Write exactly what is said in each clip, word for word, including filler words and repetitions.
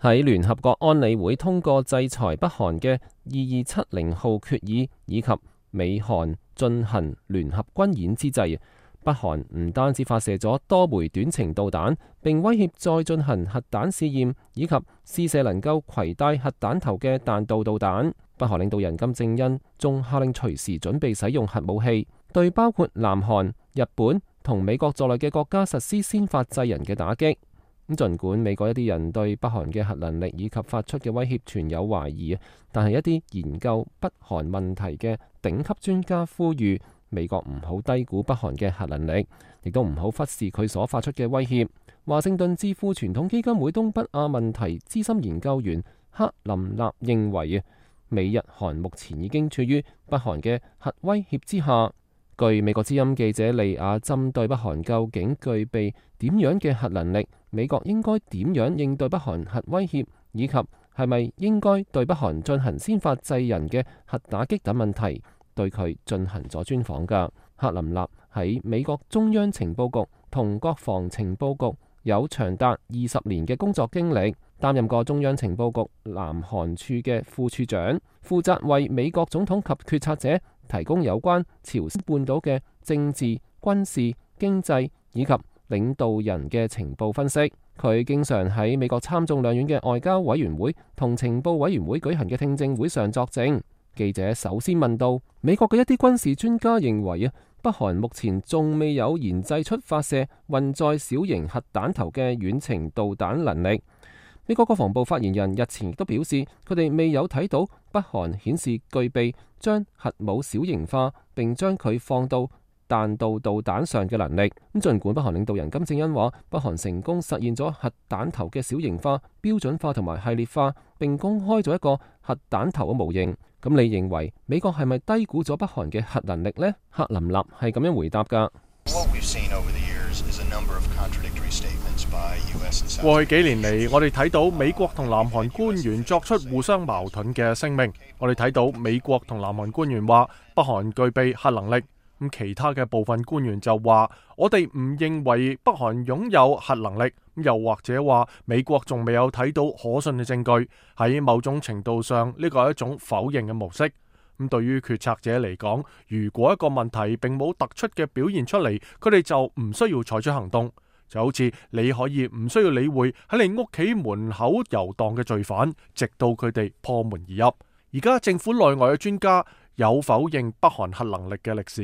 喺聯合國安理會通過制裁北韓嘅二二七零號決議，以及美韓進行聯合軍演之際，北韓唔單止發射咗多枚短程導彈，並威脅再進行核彈試驗，以及試射能夠攜帶核彈頭嘅彈道導彈。北韓領導人金正恩仲下令隨時準備使用核武器，對包括南韓、日本同美國在內嘅國家實施先發制人嘅打擊。咁儘管美國一啲人對北韓嘅核能力以及發出嘅威脅存有懷疑，但係一啲研究北韓問題嘅頂級專家呼籲美國唔好低估北韓嘅核能力，亦都唔好忽視佢所發出嘅威脅。華盛頓智庫傳統基金會東北亞問題資深研究員克林納認為，美日韓目前已經處於北韓嘅核威脅之下。據美國之音記者利亞針對北韓究竟具備點樣嘅核能力，美國應該點樣應對北韓核威脅，以及係咪應該對北韓進行先發制人嘅核打擊等問題，對佢進行咗專訪㗎。克林納喺美國中央情報局同國防情報局有長達二十年嘅工作經歷，擔任過中央情報局南韓處嘅副處長，負責為美國總統及決策者提供有關朝鮮半島嘅政治、軍事、經濟以及領導人嘅情報分析。佢經常喺美國參眾兩院嘅外交委員會同情報委員會舉行嘅聽證會上作證。記者首先問到，美國嘅一啲軍事專家認為啊，北韓目前仲未有研製出發射運載小型核彈頭嘅遠程導彈能力。美國國防部發言人日前亦都表示，佢哋未有睇到北韓顯示具備將核武小型化並將佢放到彈道導彈上嘅能力。咁儘管北韓領導人金正恩話，北韓成功實現咗核彈頭嘅小型化、標準化同埋系列化，並公開咗一個核彈頭嘅模型。咁你認為美國係咪低估咗北韓嘅核能力呢？克林納係咁樣回答㗎。過去幾年嚟，我哋睇到美國同南韓官員作出互相矛盾嘅聲明。我哋睇到美國同南韓官員話北韓具備核能力，咁其他嘅部分官員就話我哋唔認為北韓擁有核能力，又或者話美國仲未有睇到可信嘅證據。喺某種程度上，呢個係一種否認嘅模式。咁對於決策者嚟講，如果一個問題並冇突出嘅表現出嚟，佢哋就唔需要採取行動。就好似你可以唔需要理會喺你屋企門口遊蕩嘅罪犯，直到佢哋破門而入。而家政府內外嘅專家有否認北韓核能力嘅歷史，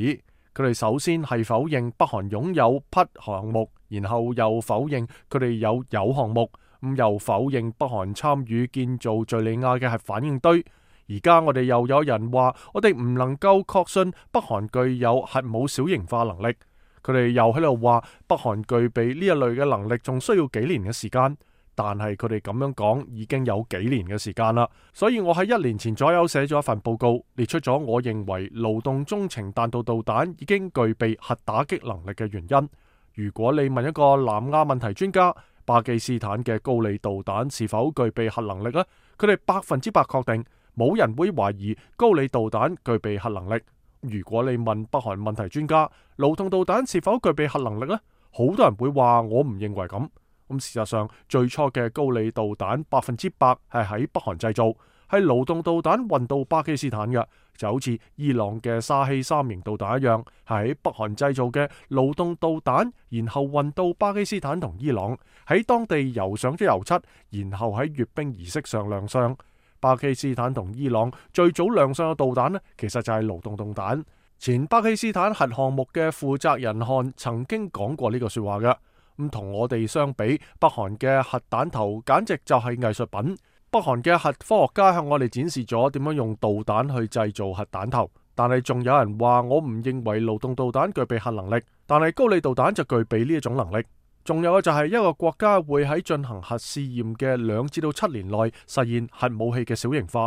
佢哋首先係否認北韓擁有 P 項目，然後又否認佢哋有鈾項目，咁又否認北韓參與建造敘利亞嘅核反應堆。而家我哋又有人話，我哋唔能夠確信北韓具有核武小型化能力。佢哋又喺度話北韓具備呢一類嘅能力，仲需要幾年嘅時間。但係佢哋咁樣講已經有幾年嘅時間啦。所以我喺一年前左右寫咗一份報告，列出咗我認為勞動中程彈道導彈已經具備核打擊能力嘅原因。如果你問一個南亞問題專家，巴基斯坦嘅高麗導彈是否具備核能力呢？佢哋百分之百確定，冇人會懷疑高麗導彈具備核能力。如果你問北韓問題專家，勞動導彈是否具備核能力呢？好多人會話我唔認為咁。咁事實上，最初嘅高麗導彈百分之百係喺北韓製造，係勞動導彈運到巴基斯坦嘅，就好似伊朗嘅沙希三型導彈一樣，係喺北韓製造嘅勞動導彈，然後運到巴基斯坦同伊朗，喺當地油上咗油漆，然後喺閱兵儀式上亮相。巴基斯坦同伊朗最早亮相嘅導彈呢，其實就係勞動導彈。前巴基斯坦核項目嘅負責人漢曾經講過呢個說話嘅。咁同我哋相比，北韓嘅核彈頭簡直就係藝術品。北韓嘅核科學家向我哋展示咗點樣用導彈去製造核彈頭。但係仲有人話我唔認為勞動導彈具備核能力，但係高麗導彈就具備呢一種能力。仲有嘅就係一個國家會喺進行核試驗嘅兩至到七年內實現核武器嘅小型化，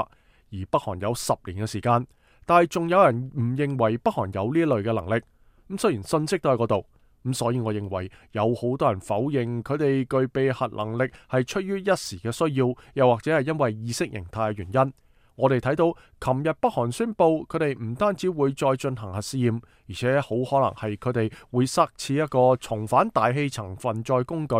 而北韓有十年嘅時間。但係仲有人唔認為北韓有呢一類嘅能力。咁雖然信息都喺嗰度，咁所以我認為有好多人否認佢哋具備核能力係出於一時嘅需要，又或者係因為意識形態嘅原因。我哋睇到琴日北韓宣布佢哋唔單止會再進行核試驗，而且好可能係佢哋會塞似一個重返大氣層運載工具。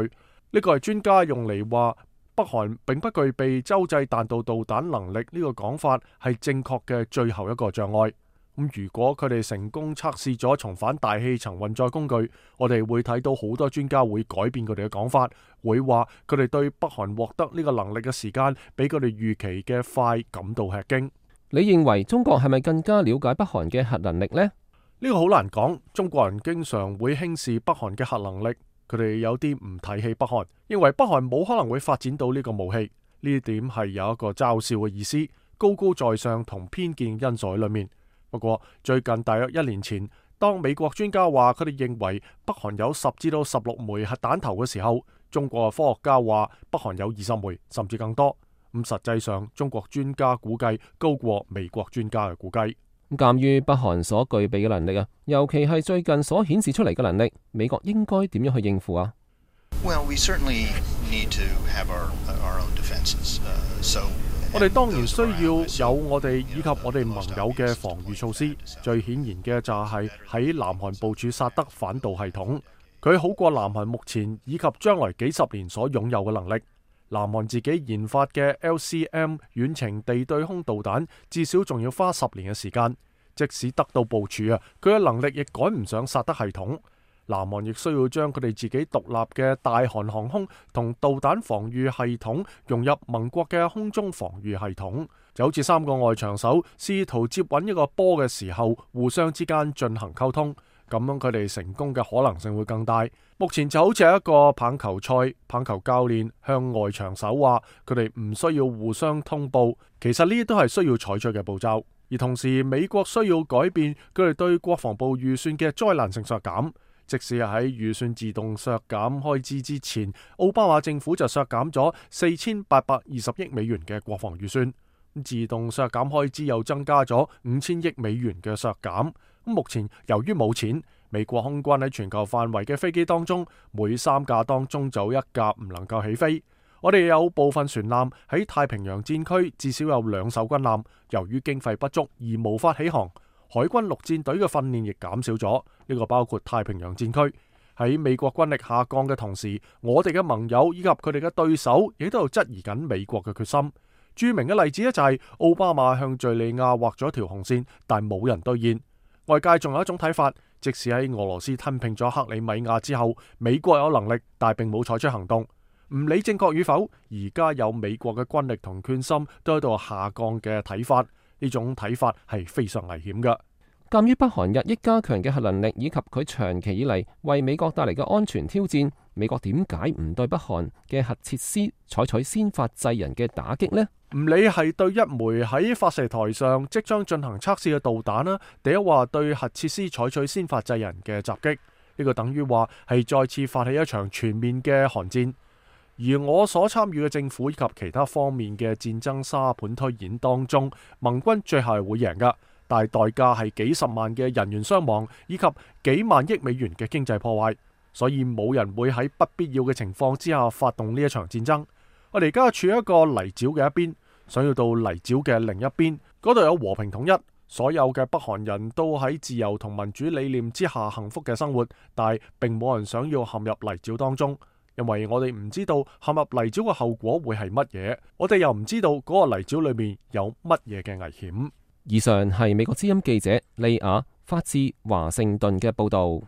呢個係專家用嚟話北韓並不具備洲際彈道導彈能力呢個講法係正確嘅最後一個障礙。咁如果佢哋成功測試咗重返大氣層運載工具，我哋會睇到好多專家會改變佢哋嘅講法，會話佢哋對北韓獲得呢個能力嘅時間比佢哋預期嘅快感到吃驚。你認為中國係咪更加了解北韓嘅核能力呢？呢個好難講。中國人經常會輕視北韓嘅核能力，佢哋有啲唔睇起北韓，認為北韓冇可能會發展到呢個武器。呢點係有一個嘲笑嘅意思，高高在上同偏見因素喺裏面。不過最近大約一年前，當美國專家話佢哋認為北韓有十至到十六枚核彈頭嘅時候，中國嘅科學家話北韓有二十枚甚至更多。咁實際上中國專家估計高過美國專家嘅估計。鑑於北韓所具備嘅能力啊，尤其係最近所顯示出嚟嘅能力，美國應該點樣去應付啊？ Well, we certainly need to have our, our own defenses. Uh, so 我哋當然需要有我哋以及我哋盟友嘅防禦措施。最顯然嘅就係喺南韓部署薩德反導系統，佢好過南韓目前以及將來幾十年所擁有嘅能力。南韓自己研發嘅 L C M 遠程地對空導彈，至少仲要花十年嘅時間。即使得到部署啊，佢嘅能力亦趕唔上薩德系統。南韓亦需要將佢哋自己獨立嘅大韓航空同導彈防禦系統融入盟國嘅空中防禦系統，就好似三個外長手試圖接穩一個波嘅時候，互相之間進行溝通，咁樣佢哋成功嘅可能性會更大。目前就好似一個棒球賽，棒球教練向外長手話佢哋唔需要互相通報，其實呢啲都係需要採取嘅步驟。而同時美國需要改變佢哋對國防部預算嘅災難性削減。即使喺預算自動削減開支之前，奧巴馬政府就削減咗四千八百二十億美元嘅國防預算，自動削減開支又增加咗五千億美元嘅削減。目前由於冇錢，美國空軍喺全球範圍嘅飛機當中，每三架當中就一架唔能夠起飛。我哋有部分船艦喺太平洋戰區，至少有兩艘軍艦，由於經費不足而無法起航。海軍陸戰隊嘅訓練亦減少咗，呢個包括太平洋戰區。喺美國軍力下降嘅同時，我哋嘅盟友以及佢哋嘅對手亦都喺度質疑緊美國嘅決心。著名嘅例子咧就係奧巴馬向敘利亞畫咗條紅線，但冇人兌現。外界仲有一種睇法，即使喺俄羅斯吞併咗克里米亞之後，美國有能力，但並冇採取行動。唔理正確與否，而家有美國嘅軍力同決心都喺度下降嘅睇法。呢種睇法係非常危險嘅。鑒於北韓日益加強嘅核能力，以及佢長期以嚟為美國帶嚟嘅安全挑戰，美國點解唔對北韓嘅核設施採取先發制人嘅打擊呢？唔理係對一枚喺發射台上即將進行測試嘅導彈啦，第一話對核設施採取先發制人嘅襲擊，呢個等於話係再次發起一場全面嘅韓戰。而我所參與嘅政府以及其他方面嘅戰爭沙盤推演當中，盟軍最後係會贏噶，但係代價係幾十萬嘅人員傷亡以及幾萬億美元嘅經濟破壞，所以冇人會喺不必要嘅情況之下發動呢一場戰爭。我哋而家處於一個泥沼嘅一邊，想要到泥沼嘅另一邊，嗰度有和平統一，所有嘅北韓人都喺自由同民主理念之下幸福嘅生活，但係並冇人想要陷入泥沼當中。因為我哋唔知道陷入泥沼嘅後果會係乜嘢，我哋又唔知道嗰個泥沼裏面有乜嘢嘅危險。以上係美國之音記者利亞發自華盛頓嘅報道。